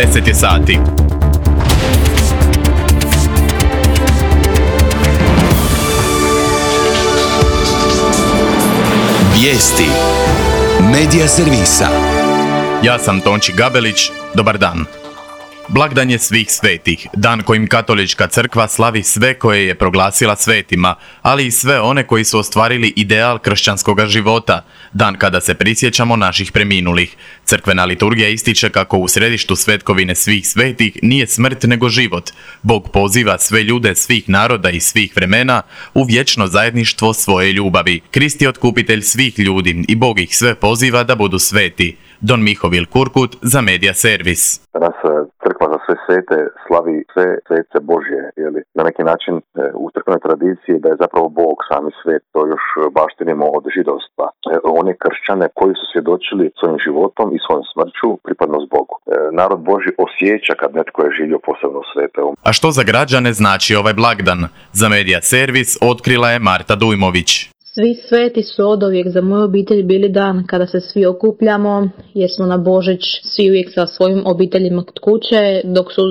10 je sati. Vijesti Medija servisa. Ja sam Tonči Gabelić, dobar dan. Blagdan je svih svetih, dan kojim Katolička crkva slavi sve koje je proglasila svetima, ali i sve one koji su ostvarili ideal kršćanskog života, dan kada se prisjećamo naših preminulih. Crkvena liturgija ističe kako u središtu svetkovine svih svetih nije smrt nego život. Bog poziva sve ljude svih naroda i svih vremena u vječno zajedništvo svoje ljubavi. Krist je otkupitelj svih ljudi i Bog ih sve poziva da budu sveti. Don Mihovil Kurkut za Medija servis. Danas crkva za sve svete slavi sve svece Božje, na neki način u crkvenoj tradiciji da je zapravo Bog sami svet, to još baštinimo od židovstva. One kršćane koji su svjedočili svojim životom i svojom smrću pripadnost Bogu. Narod Božji osjeća kad netko je živio posebno svete. A što za građane znači ovaj blagdan? Za Medija servis otkrila je Marta Dujmović. Svi sveti su oduvijek za moju obitelj bili dan kada se svi okupljamo, jer smo na Božić svi uvijek sa svojim obiteljima kod kuće, dok su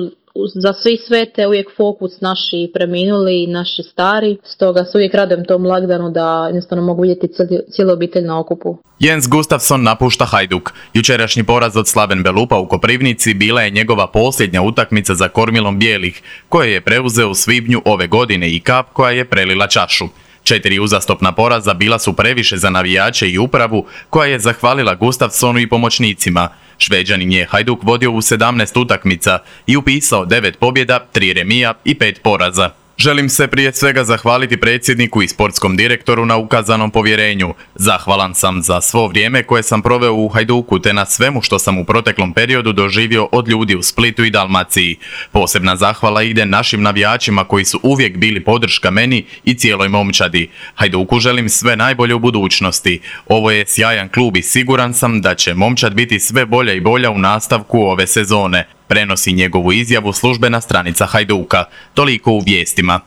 za svi svete uvijek fokus naši preminuli i naši stari. Stoga se uvijek radujem tom blagdanu da jednostavno mogu vidjeti cijelu obitelj na okupu. Jens Gustafsson napušta Hajduk. Jučerašnji poraz od Slaven Belupa u Koprivnici bila je njegova posljednja utakmica za kormilom bijelih, koje je preuzeo u svibnju ove godine i kap koja je prelila čašu. 4 uzastopna poraza bila su previše za navijače i upravu koja je zahvalila Gustafssonu i pomoćnicima. Šveđanin je Hajduk vodio u 17 utakmica i upisao 9 pobjeda, 3 remija i 5 poraza. Želim se prije svega zahvaliti predsjedniku i sportskom direktoru na ukazanom povjerenju. Zahvalan sam za svo vrijeme koje sam proveo u Hajduku te na svemu što sam u proteklom periodu doživio od ljudi u Splitu i Dalmaciji. Posebna zahvala ide našim navijačima koji su uvijek bili podrška meni i cijeloj momčadi. Hajduku želim sve najbolje u budućnosti. Ovo je sjajan klub i siguran sam da će momčad biti sve bolja i bolja u nastavku ove sezone. Prenosi njegovu izjavu službena stranica Hajduka. Toliko u vijestima.